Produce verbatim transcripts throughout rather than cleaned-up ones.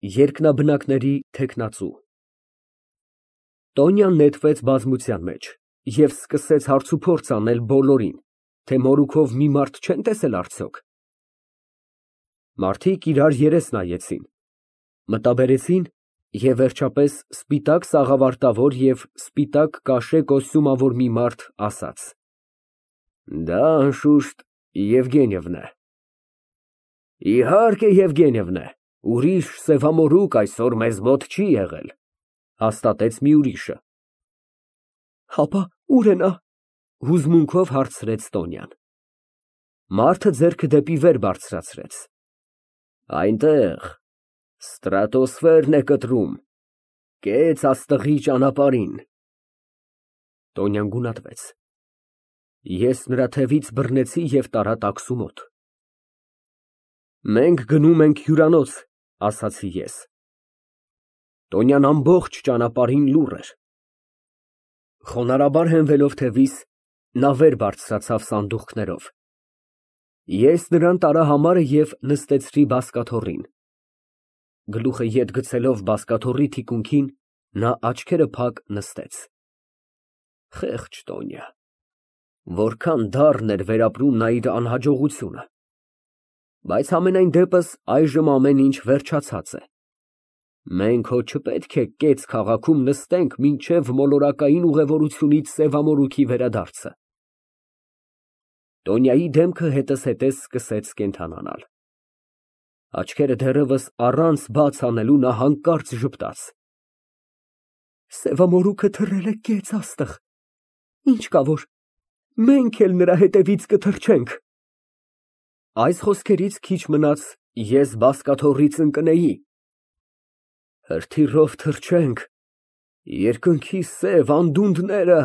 Երկնաբնակների թեկնածու Տոնյան նետվեց բազմության մեջ և սկսեց հարցուփորձ անել բոլորին, թե մորուքով մի մարդ չեն տեսել արդյոք։ Մարդիկ իրար երես նայեցին, մտաբերեցին և վերջապես սպիտակ սաղավարտավոր և սպիտակ կաշե կոստյումավոր մի մարդ ասաց. Դա անշուշտ Եվգենիևն է։ Իհարկե Եվգենիևն է, ուրիշ սևամորուք այսօր մեզ մոտ չի եղել, հաստատեց մի ուրիշը։ Հապա ո՞ւր է նա, հուզմունքով հարցրեց Տոնյան։ Մարդը ձեռքը դեպի վեր բարձրացրեց։ Այնտեղ, ստրատոսֆերն է կտրում, կեց աստղի ճանապարհին։ Տոնյան գունատվեց։ Ես նրա թևից բռնեցի և տարա տաքսու մոտ։ Մենք գնում ենք հյուրանոց, ասացի ես։ Տոնյան ամբողջ ճանապարհին լուռ էր։ Խոնարհաբար հենվելով թևիս, նա վեր բարձրացավ սանդուղքներով։ Ես նրան տարա համարը և նստեցրի բազկաթոռին։ Գլուխը ետ գցելով բազկաթոռի թիկունքին, նա աչքերը փակ նստեց։ Խեղճ Տոնյա, որքան դառն էր վերապրում նա իր անհաջողությունը, բայց համենայն դեպս այժմ ամեն ինչ վերջացած է։ Մենք հո չպետք է կեց քաղաքում նստենք մինչև մոլորակային ուղևորությունից սևամորուքի վերադարձը։ Տոնյայի դեմքը հետզհետե սկսեց կենդանանալ։ Աչքերը դեռևս առանց բաց անելու նա հանկարծ ժպտաց։ Սևամորուքը թռել է կեց աստղ, ինչ կա որ մենք էլ նրա հետևից կթռչենք։ Այս խոսքերից քիչ մնաց ես բազկաթոռից ընկնեի։ Հրթիռով թռչենք, երկնքի սև անդունդները։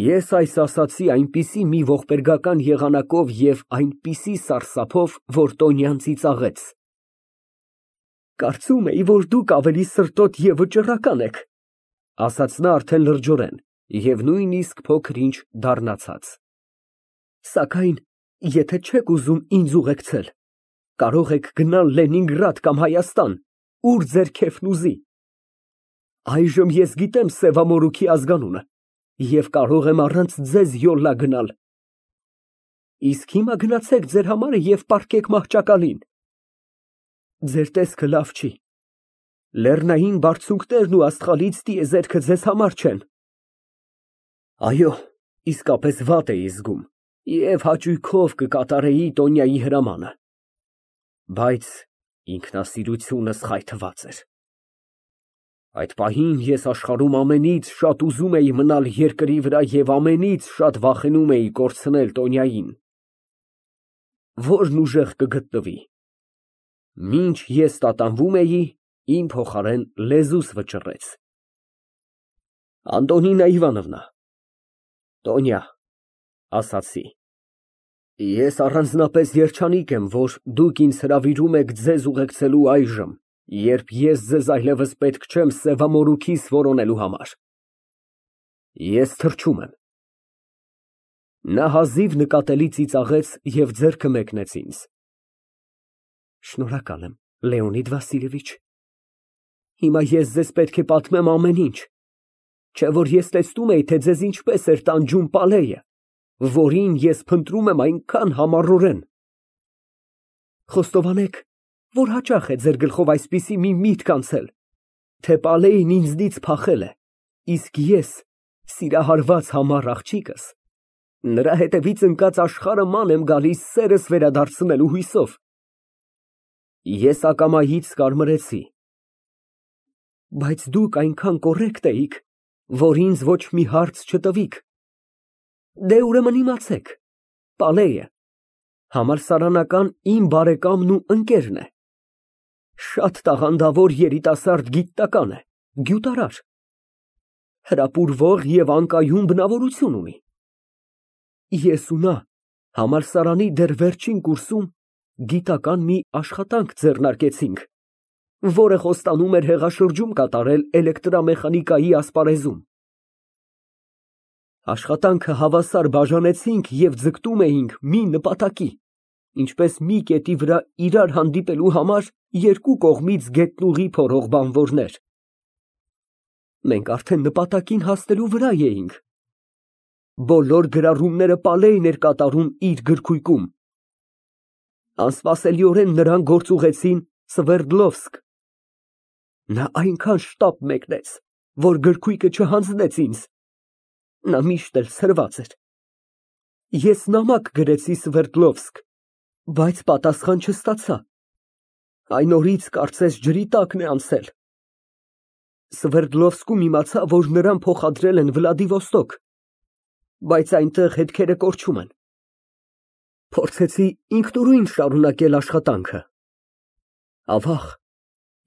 Ես այս ասացի այնպիսի մի ողբերգական եղանակով և այնպիսի սարսափով, որ Տոնյան ծիծաղեց։ Կարծում էի, որ դուք ավելի սրտոտ և վճռական եք, ասաց նա արդեն լրջորեն և նույնիսկ փոքր ինչ դառնացած։ Սակայն եթե չեք ուզում ինձ ուղեկցել, կարող եք գնալ Լենինգրադ կամ Հայաստան, ուր ձեր քեֆն ուզի։ Այժմ ես գիտեմ սևամորուքի ազգանունը և կարող եմ առանց ձեզ յոլլա գնալ։ Իսկ հիմա գնացեք ձեր համարը և պառկեք մահճակալին։ Ձեր տեսքը լավ չի, լեռնային բարձունքներն ու աստղալից տիեզերքը ձեզ համար չեն։ Այո, իսկապես վատ էի զգում և հաճույքով կկատարեի Տոնյայի հրամանը, բայց ինքնասիրությունս խայթված էր։ Այդ պահին ես աշխարհում ամենից շատ ուզում էի մնալ երկրի վրա և ամենից շատ վախենում էի կորցնել Տոնյային։ Ո՞րն ուժեղ կգտնվի։ Մինչ ես տատանվում էի, իմ փոխարեն լեզուս վճռեց. Անդոնինա Իվանովնա, Տոնյա, ասացի, ես առանձնապես երջանիկ եմ, որ դուք ինձ հրավիրում եք ձեզ ուղեկցելու այժմ, երբ ես ձեզ այլևս պետք չեմ սևամորուքիս որոնելու համար։ Ես թռչում եմ։ Նա հազիվ նկատելի ծիծաղեց և ձեռքը մեկնեց ինձ։ Շնորհակալ եմ, Լեոնիդ Վասիլևիչ։ Հիմա ես ձեզ պետք է պատմեմ ամեն ինչ, չէ որ ես տեսնում էի, թե ձեզ ինչպես էր տանջում Պալեյը, որին ես փնտրում եմ այնքան համառորեն։ Խոստովանեք, որ հաճախ է ձեր գլխով այսպիսի մի միտք անցել, թե Պալեյն ինձնից փախել է, իսկ ես, սիրահարված համառ աղջիկս, նրա հետևից ընկած աշխարհը ման եմ գալիս սերս վերադարձնելու հույսով։ Ես ակամայից կարմրեցի։ Բայց դուք այնքան կոռեկտ էիք, որ ինձ ոչ մի հարց չտվիք։ Դե ուրեմն իմացեք, Պալեյը համալսարանական իմ բարեկամն ու ընկերն է։ Շատ տաղանդավոր երիտասարդ գիտնական է, գյուտարար, հրապուրվող և անկայուն բնավորություն ունի։ Ես ու նա համալսարանի դեռ վերջին կուրսում գիտական մի աշխատանք ձեռնարկեցինք, որը խոստանում էր հեղաշրջում կատարել էլեկտրամեխանիկայի ասպարեզում։ Աշխատանքը հավասար բաժանեցինք և ձգտում էինք մի նպատակի, ինչպես մի կետի վրա իրար հանդիպելու համար երկու կողմից գետնուղի փորող բանվորներ։ Մենք արդեն նպատակին հասնելու վրա էինք։ Բոլոր գրառումները Պալեյն էր կատարում իր գրքույկում։ Անսպասելիորեն նրան գործուղեցին Սվերդլովսկ։ Նա այնքան շտապ մեկնեց, որ գրքույկը չհանձնեց ինձ։ Նա միշտ էլ ցրված էր։ Ես նամակ գրեցի Սվերդլովսկ, բայց պատասխան չստացա։ Այն օրից կարծես ջրի տակն է անցել։ Սվերդլովսկում իմացա, որ նրան փոխադրել են Վլադիվոստոկ, բայց այնտեղ հետքերը կորչում են։ Փորձեցի ինքնուրույն շարունակել աշխատանքը։ Ավաղ,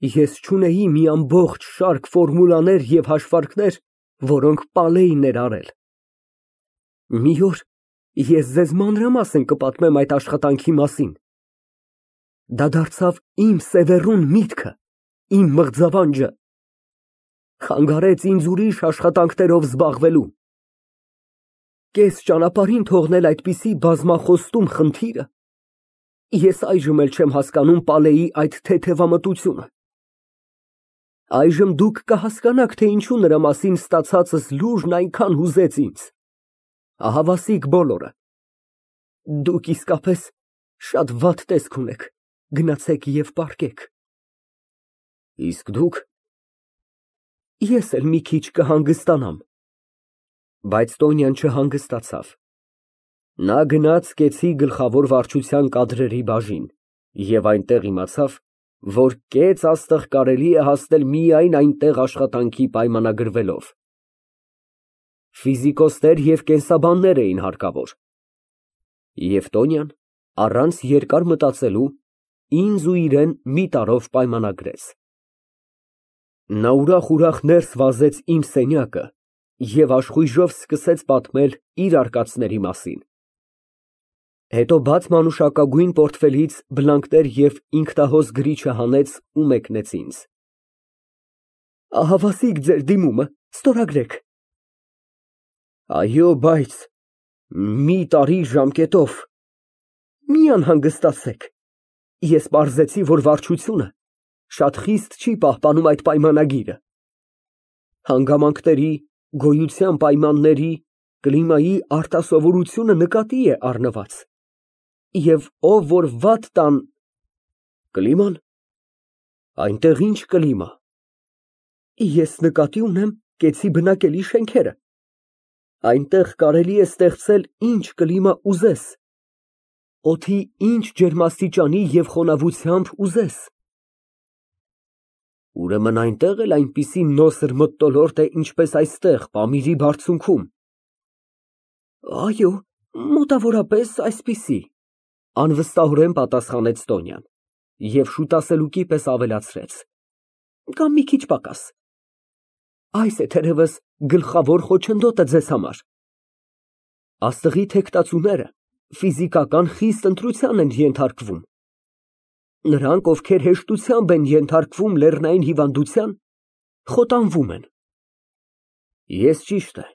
ես չունեի մի ամբողջ շարք ֆորմուլաներ և հաշվարկներ, որոնք Պալեյն էր արել։ Մի օր ես ձեզ մանրամասն կպատմեմ այդ աշխատանքի մասին։ Դա դարձավ իմ սևեռուն միտքը, իմ մղձավանջը, խանգարեց ինձ ուրիշ աշխատանքներով զբաղվելու։ Կես ճանապարհին թողնել այդպիսի բազմախոստում խնդիրը, ես այժմ էլ չեմ հասկանում Պալեյի այդ թեթևամտությունը։ Այժմ դուք կհասկանաք, թե ինչու նրա մասին ստացածս լուրն այնքան հուզեց ինձ։ Ահավասիկ բոլորը։ Դուք իսկապես շատ վատ տեսք ունեք, գնացեք և պառկեք։ Իսկ դուք։ Ես էլ մի քիչ կհանգստանամ։ Բայց Տոնյան չհանգստացավ։ Նա գնաց կեցի գլխավոր վարչության կադրերի բաժին և այնտեղ իմացավ, որ կեց աստղ կարելի է հասնել միայն այնտեղ աշխատանքի պայմանագրվելով։ Ֆիզիկոսներ և կենսաբաններ էին հարկավոր։ Եվ Տոնյան, առանց երկար մտածելու, ինձ ու իրան մի տարով պայմանագրեց։ Նա ուրախ֊ուրախ ներս վազեց իմ սենյակը և աշխույժով սկսեց պատմել իր արկածների մասին։ Հետո բաց մանուշակագույն պորտֆելից բլանկներ և ինքնահոս գրիչը հանեց ու մեկնեց ինձ։ Ահավասիկ ձեր դիմումը, ստորագրեք։ Այո, բայց մի տարի ժամկետով։ Մի անհանգստացեք։ Ես պարզեցի, որ վարչությունը շատ խիստ չի պահպանում այդ պայմանագիրը։ Հանգամանքների, գոյության պայմանների, կլիմայի արտասովորությունը նկատի է առնված, և ով որ վատ տան… Կլիման։ Այնտեղ ի՞նչ կլիմա։ Ես նկատի ունեմ կեցի բնակելի շենքերը։ Այնտեղ կարելի է ստեղծել ինչ կլիմա ուզես, օդի ինչ ջերմաստիճանի և խոնավությամբ ուզես։ Ուրեմն այնտեղ էլ այնպիսի նոսր մթնոլորտ է, ինչպես այստեղ, Պամիրի բարձունքում։ Այո, մոտավորապես այսպիսի, անվստահորեն պատասխանեց Տոնյան և շուտասելուկի պես ավելացրեց. Կամ մի քիչ պակաս։ Այս է թերևս գլխավոր խոչընդոտը ձեզ համար։ Աստղի թեկտածուները ֆիզիկական խիստ ընտրության են ենթարկվում։ Նրանք, ովքեր հեշտությամբ են ենթարկվում լեռնային հիվանդության, խոտանվում են։ Ես, ճիշտ է,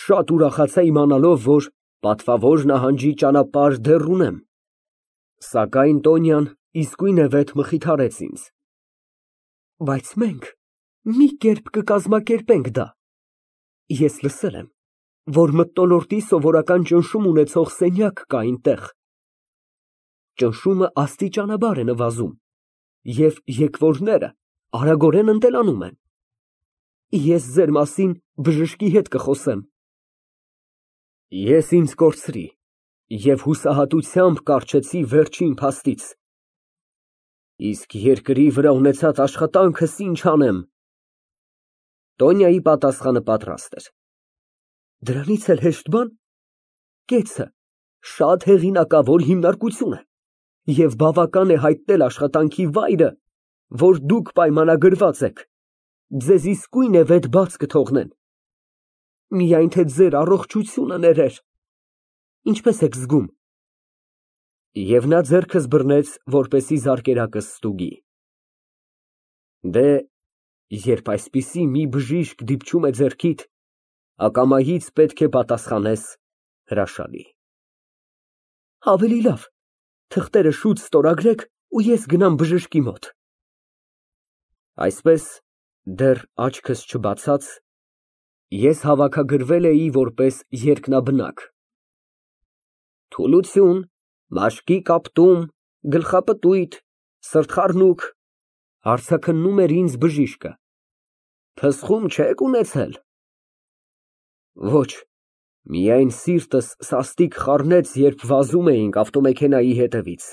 շատ ուրախացա իմանալով, որ պատվավոր նահանջի ճանապարհ դեռ ունեմ, սակայն Տոնյան իսկույնևեթ մխիթարեց ինձ։ Բայց մենք մի կերպ կկազմակերպենք դա։ Ես լսել եմ, որ մթնոլորտի սովորական ճնշում ունեցող սենյակ կա այնտեղ։ Ճնշումը աստիճանաբար է նվազում, և եկվորները արագորեն ընտելանում են։ Ես ձեր մասին բժշկի հետ կխոսեմ։ Ես ինձ կորցրի և հուսահատությամբ կառչեցի վերջին փաստից։ Իսկ երկրի վրա ունեցած աշխատանքս ինչ անեմ։ Տոնյայի պատասխանը պատրաստ էր։ Դրանից էլ հեշտ բան։ Կեցը շատ հեղինակավոր հիմնարկություն է, և բավական է հայտնել աշխատանքի վայրը, որ դուք պայմանագրված եք, ձեզ իսկույնևեթ բաց կթողնեն։ Միայն թե ձեր առողջությունը ներեր։ Ինչպե՞ս եք զգում։ Եվ նա ձեռքս բռնեց, որպեսզի զարկերակս ստուգի։ Դե, երբ այսպիսի մի բժիշկ դիպչում է ձեռքիդ, ակամայից պետք է պատասխանես հրաշալի։ Ավելի լավ, Թղթերը շուտ ստորագրեք ու ես գնամ բժշկի մոտ։ Այսպես, դեռ աչքս չբացած, ես հավաքագրվել էի որպես երկնաբնակ։ Թուլություն, մաշկի կապտում, գլխապտույտ, սրտխառնուկ, հարցաքննում էր ինձ բժիշկը։ Փսխում չեք ունեցել։ Ոչ, միայն սիրտս սաստիկ խառնեց, երբ վազում էինք ավտոմեքենայի հետևից։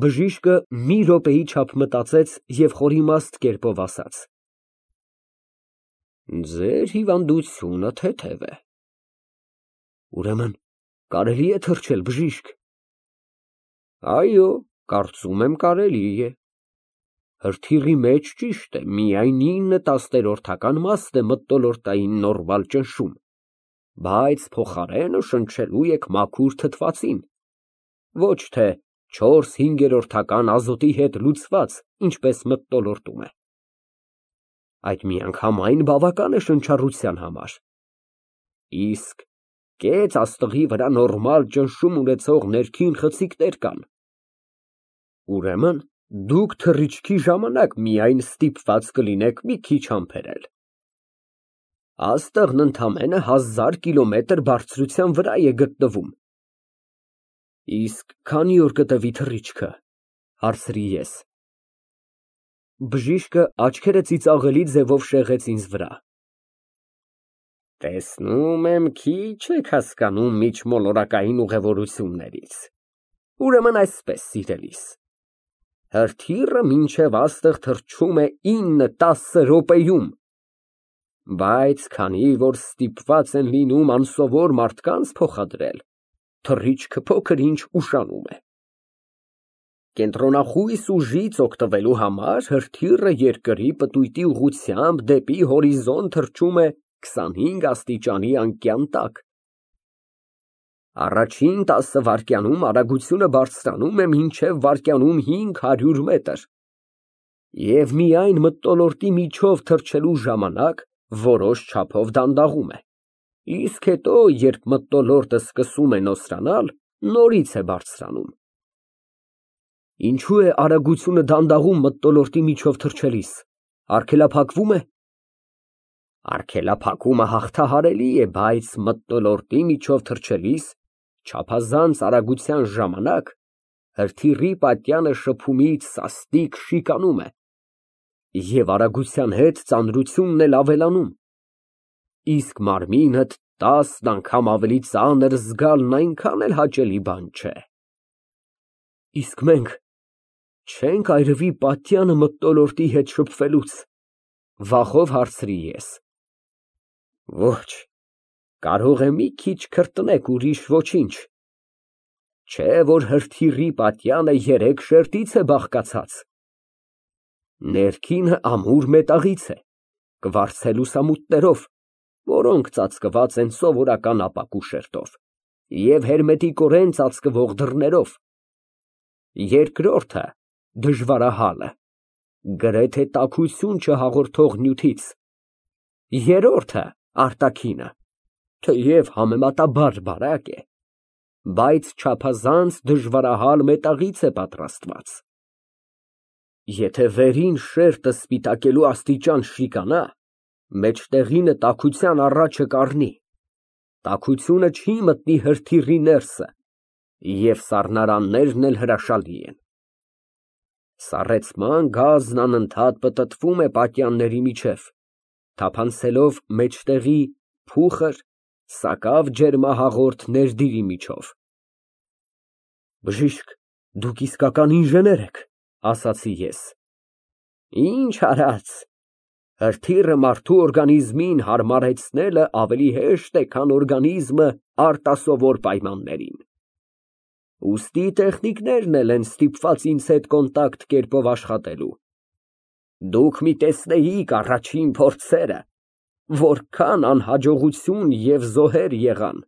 Բժիշկը մի րոպեի չափ մտածեց և խորիմաստ կերպով ասաց. Ձեր հիվանդությունը թեթև է։ Ուրեմն, կարելի է թռչել, բժիշկ։ Այո, կարծում եմ կարելի է։ Հրթիռի մեջ ճիշտ է, միայն ինը տասներորդական մասն է մթնոլորտային նորմալ ճնշում, բայց փոխարենը շնչելու եք մաքուր թթվածին, ոչ թե չորս հինգերորդական ազոտի հետ լուծված, ինչպես մթնոլորտում է։ Այդ միանգամայն բավական է շնչառության համար։ Իսկ կեց աստղի վրա նորմալ ճնշում ունեցող ներքին խցիկներ կան։ Ուրեմն, դուք թռիչքի ժամանակ միայն ստիպված կլինեք մի քիչ համբերել։ Աստղն ընդամենը հազար կիլոմետր բարձրության վրա է գտնվում։ Իսկ քանի օր կտևի թռիչքը, հարցրի ես։ Բժիշկը աչքերը ծիծաղելի ձևով շեղեց ինձ վրա։ Տեսնում եմ, քիչ եք հասկանում միջմոլորակային ուղևորություններից։ Ուրեմն այսպես, սիրելիս, հրթիռը մինչև աստղ թռչում է ինը-տասը րոպեում, բայց քանի որ ստիպված են լինում անսովոր մարդկանց փոխադրել, թռիչքը փոքր-ինչ ուշանում է։ Կենտրոնախույս ուժից օգտվելու համար հրթիռը երկրի պտույտի ուղղությամբ դեպի հորիզոն թռչում է քսանհինգ աստիճանի անկյան տակ։ Առաջին տասը վայրկյանում արագությունը բարձրանում է մինչև վայրկյանում հինգ հարյուր մետր, և միայն մթնոլորտի միջով թռչելու ժամանակ որոշ չափով դանդաղում է, իսկ հետո, երբ մթնոլորտը սկսում է նոսրանալ, նորից է բարձրանում։ Ինչու է արագությունը դանդաղում մթնոլորտի միջով թռչելիս, արգելափակվում է։ Արգելափակումը հաղթահարելի է, բայց մթնոլորտի միջով թռչելիս չափազանց արագության ժամանակ հրթիռի պատյանը շփումից սաստիկ շիկանում է, և արագության հետ ծանրությունն էլ ավելանում, իսկ մարմինդ տասն անգամ ավելի ծանր զգալն այնքան էլ հաճելի բան չէ։ Իսկ մենք չե՞նք այրվի պատյանը մթնոլորտի հետ շփվելուց, վախով հարցրի ես։ Ոչ, կարող է մի քիչ քրտնեք, ուրիշ ոչինչ, չէ որ հրթիռի պատյանը երեք շերտից է բաղկացած։ Ներքինը ամուր մետաղից է, կվարձել լուսամուտներով, որոնք ծածկված են սովորական ապակու շերտով, և հերմետիկորեն ծածկվող դռներով։ Երկրորդը դժվարահալը, գրեթե տաքություն չհաղորդող նյութից, երրորդը արտաքինը, թեև համեմատաբար բարակ է, բայց չափազանց դժվարահալ մետաղից է պատրաստված։ Եթե վերին շերտը սպիտակելու աստիճան շիկանա, մեջտեղինը տաքության առաջը կառնի, տաքությունը չի մտնի հրթիռի ներսը, և սառնարաններն էլ հրաշալի են։ Սառեցման գազն անընդհատ պտտվում է պատյանների միջև, թափանցելով մեջտեղի փուխր, սակավ ջերմահաղորդ ներդիրի միջով։ Բժիշկ, դուք իսկական ինժեներ եք, ասացի ես։ Ինչ արած, հրթիռը մարդու օրգանիզմին հարմարեցնելը ավելի հեշտ է, քան օրգանիզմը արտասովոր պայմաններին։ Ուստի տեխնիկներն էլ են ստիպված ինձ հետ կոնտակտ կերպով աշխատելու։ Դուք մի տեսնեիք առաջին փորձերը, որքան անհաջողություն և զոհեր եղան։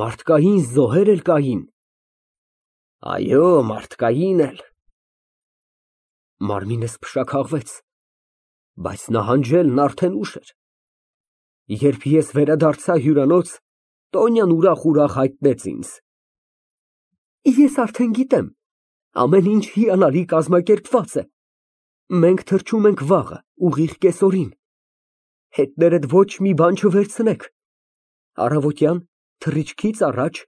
Մարդկային զոհե՞ր էլ կային։ Այո, մարդկային էլ։ Մարմինս փշաքաղվեց, բայց նահանջելն արդեն ուշ էր։ Երբ ես վերադարձա հյուրանոց, Տոնյան ուրախ֊ուրախ հայտնեց ինձ. Ես արդեն գիտեմ, ամեն ինչ հիանալի կազմակերպված է։ Մենք թռչում ենք վաղը, ուղիղ կեսօրին։ Հետներդ ոչ մի բան չվերցնեք։ Առավոտյան թռիչքից առաջ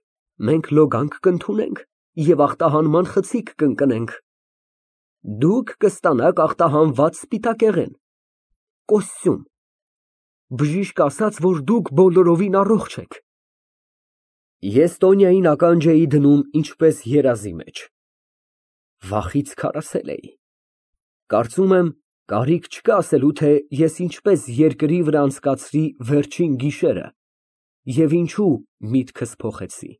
մենք լոգանք կընդունենք և ախտահանման խցիկ կընկնենք։ Դուք կստանաք ախտահանված սպիտակեղեն, կոստյում, բժիշկ ասաց, որ դուք բոլորովին առողջ եք։ Ես Տոնյային ականջ էի դնում ինչպես երազի մեջ։ Վախից քարացել էի։ Կարծում եմ, կարիք չկա ասելու, թե ես ինչպես երկրի վրա անցկացրի վերջին գիշերը և ինչու միտքս փոխեցի։